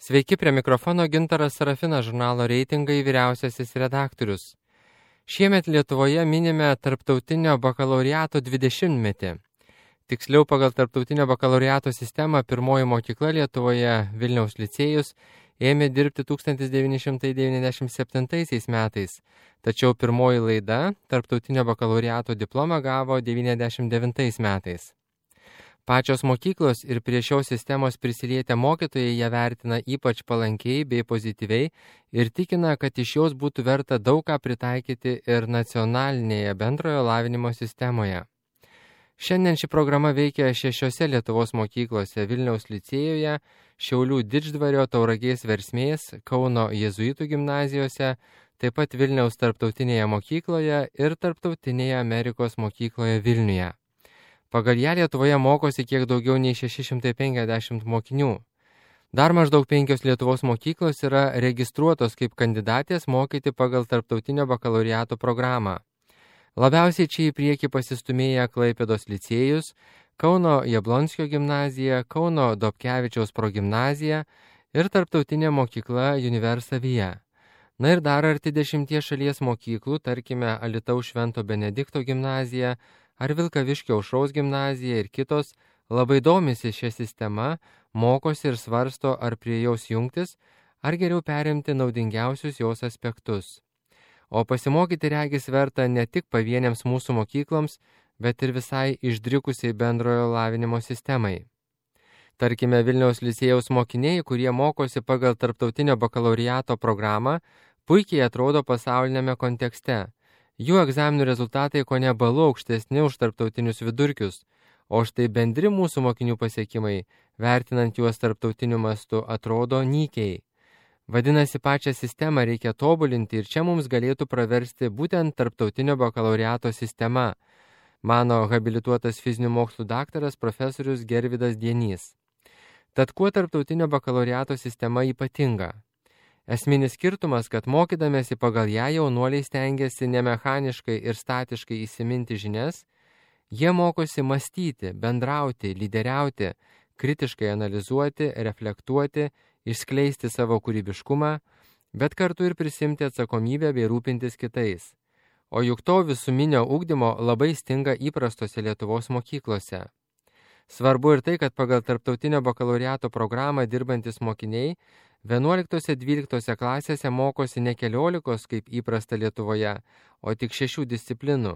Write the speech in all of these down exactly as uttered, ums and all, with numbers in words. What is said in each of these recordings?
Sveiki, prie mikrofono Gintaras Sarafinas, žurnalo Reitingai vyriausiasis redaktorius. Šiemet Lietuvoje minime tarptautinio bakalaureato dvidešimtmetį. Tiksliau, pagal tarptautinio bakalaureato sistemą pirmoji mokykla Lietuvoje, Vilniaus licėjus, ėmė dirbti tūkstantis devyni šimtai devyniasdešimt septintaisiais metais, tačiau pirmoji laida tarptautinio bakalaureato diplomą gavo devyniasdešimt devintais metais. Pačios mokyklos ir prie šios sistemos prisilietę mokytojai ją vertina ypač palankiai bei pozityviai ir tikina, kad iš jos būtų verta daug ką pritaikyti ir nacionalinėje bendrojo lavinimo sistemoje. Šiandien ši programa veikia šešiose Lietuvos mokyklose: Vilniaus licėjuje, Šiaulių Didždvario, Tauragės Versmės, Kauno jėzuitų gimnazijose, taip pat Vilniaus tarptautinėje mokykloje ir tarptautinėje Amerikos mokykloje Vilniuje. Pagal ją Lietuvoje mokosi kiek daugiau nei šeši šimtai penkiasdešimt mokinių. Dar maždaug penkios Lietuvos mokyklos yra registruotos kaip kandidatės mokyti pagal tarptautinio bakalaureato programą. Labiausiai čia į priekį pasistumėję Klaipėdos licėjus, Kauno Jablonskio gimnazija, Kauno Dobkevičiaus progimnazija ir tarptautinė mokykla Universavija. Na ir dar arti dešimties šalies mokyklų, tarkime Alytaus Švento Benedikto gimnazija ar Vilkaviškio Aušros gimnazija ir kitos, labai domisi šią sistemą, mokosi ir svarsto, ar prie jos jungtis, ar geriau perimti naudingiausius jos aspektus. O pasimokyti regis verta ne tik pavieniams mūsų mokykloms, bet ir visai išdrikusiai bendrojo lavinimo sistemai. Tarkime, Vilniaus licėjaus mokiniai, kurie mokosi pagal tarptautinio bakalaureato programą, puikiai atrodo pasaulinėme kontekste. Jų egzaminų rezultatai kone balu aukštesni už tarptautinius vidurkius, o štai bendri mūsų mokinių pasiekimai, vertinant juos tarptautiniu mastu, atrodo nykiai. Vadinasi, pačią sistemą reikia tobulinti ir čia mums galėtų praversti būtent tarptautinio bakalaureato sistema, mano habilituotas fizinių mokslų daktaras profesorius Gervydas Dienys. Tad kuo tarptautinio bakalaureato sistema ypatinga? Esminis skirtumas, kad mokydamėsi pagal ją jaunuoliai stengiasi ne mechaniškai ir statiškai įsiminti žinias, jie mokosi mąstyti, bendrauti, lyderiauti, kritiškai analizuoti, reflektuoti, išskleisti savo kūrybiškumą, bet kartu ir prisimti atsakomybę bei rūpintis kitais. O juk to visuminio ugdymo labai stinga įprastose Lietuvos mokyklose. Svarbu ir tai, kad pagal tarptautinio bakalaureato programą dirbantis mokiniai vienuoliktose dvyliktose klasėse mokosi ne keliolikos, kaip įprasta Lietuvoje, o tik šešių disciplinų.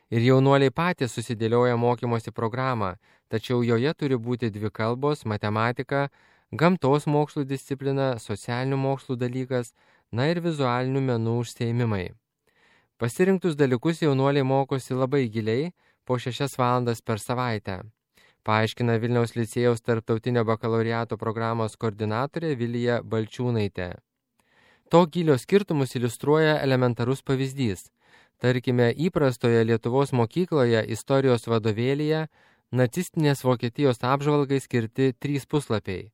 Ir jaunuoliai patys susidėlioja mokymosi programą, tačiau joje turi būti dvi kalbos, matematika, gamtos mokslų disciplina, socialinių mokslų dalykas, na ir vizualinių menų užsiėmimai. Pasirinktus dalykus jaunuoliai mokosi labai giliai, po šešias valandas per savaitę, paaiškina Vilniaus licėjaus tarptautinio bakalaureato programos koordinatorė Vilija Balčiūnaitė. To gilio skirtumus iliustruoja elementarus pavyzdys. Tarkime, įprastoje Lietuvos mokykloje istorijos vadovėlyje nacistinės Vokietijos apžvalgai skirti trys puslapiai.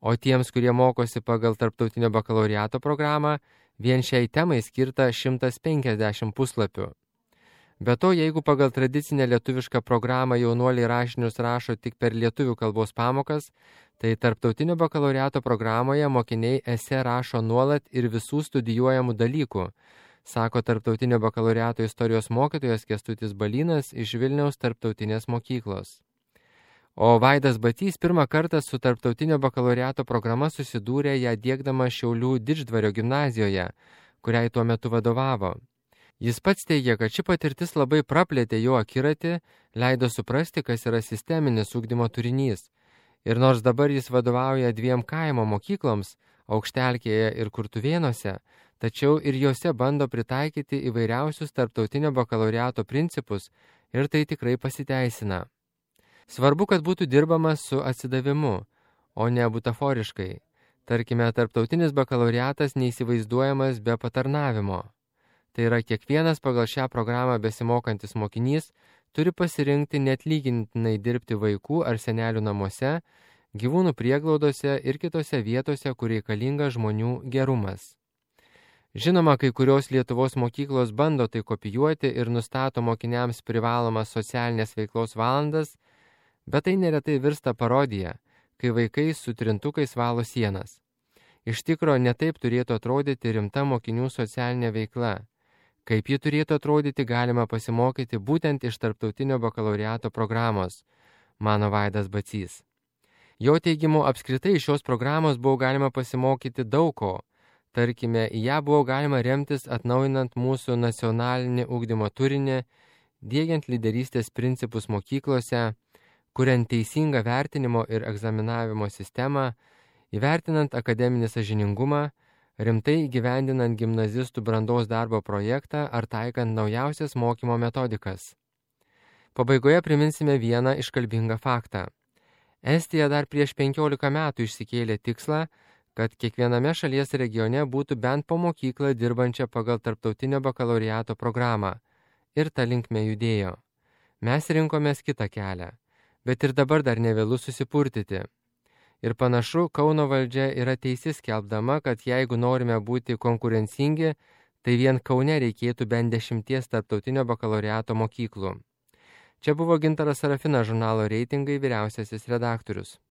O tiems, kurie mokosi pagal tarptautinio bakalaureato programą, vien šiai temai skirta šimtas penkiasdešimt puslapių. Be to, jeigu pagal tradicinę lietuvišką programą jaunuoliai rašinius rašo tik per lietuvių kalbos pamokas, tai tarptautinio bakalaureato programoje mokiniai esė rašo nuolat ir visų studijuojamų dalykų, sako tarptautinio bakalaureato istorijos mokytojas Kęstutis Balynas iš Vilniaus tarptautinės mokyklos. O Vaidas Batys pirmą kartą su tarptautinio bakalaureato programa susidūrė ją diegdama Šiaulių Didždvario gimnazijoje, kuriai tuo metu vadovavo. Jis pats teigia, kad ši patirtis labai praplėtė jo akiratį, leido suprasti, kas yra sisteminis ugdymo turinys. Ir nors dabar jis vadovauja dviem kaimo mokykloms, Aukštelkėje ir Kurtuvėnuose, tačiau ir juose bando pritaikyti įvairiausius tarptautinio bakalaureato principus ir tai tikrai pasiteisina. Svarbu, kad būtų dirbama su atsidavimu, o ne butaforiškai. Tarkime, tarptautinis bakalaureatas neįsivaizduojamas be patarnavimo. Tai yra, kiekvienas pagal šią programą besimokantis mokinys turi pasirinkti neatlygintinai dirbti vaikų ar senelių namuose, gyvūnų prieglaudose ir kitose vietose, kur reikalinga žmonių gerumas. Žinoma, kai kurios Lietuvos mokyklos bando tai kopijuoti ir nustato mokiniams privalomas socialinės veiklos valandas, bet tai neretai virsta parodija, kai vaikai su trintukais valo sienas. Iš tikro, netaip turėtų atrodyti rimta mokinių socialinė veikla. Kaip ji turėtų atrodyti, galima pasimokyti būtent iš tarptautinio bakalaureato programos, mano Vaidas Bacys. Jo teigimu, apskritai iš šios programos buvo galima pasimokyti daug ko. Tarkime, į ją buvo galima remtis atnaujinant mūsų nacionalinį ugdymo turinį, diegiant lyderystės principus mokyklose, kuriant teisingą vertinimo ir egzaminavimo sistemą, įvertinant akademinį sąžiningumą, rimtai įgyvendinant gimnazistų brandos darbo projektą ar taikant naujausias mokymo metodikas. Pabaigoje priminsime vieną iškalbingą faktą. Estija dar prieš penkiolika metų išsikėlė tikslą, kad kiekviename šalies regione būtų bent po mokyklą dirbančią pagal tarptautinio bakalaureato programą ir ta linkme judėjo. Mes rinkomės kitą kelią, bet ir dabar dar nevėlu susipurtyti. Ir panašu, Kauno valdžia yra teisi skelbdama, kad jeigu norime būti konkurencingi, tai vien Kaune reikėtų bent dešimties tarptautinio bakalaureato mokyklų. Čia buvo Gintaras Sarafinas, žurnalo Reitingai vyriausiasis redaktorius.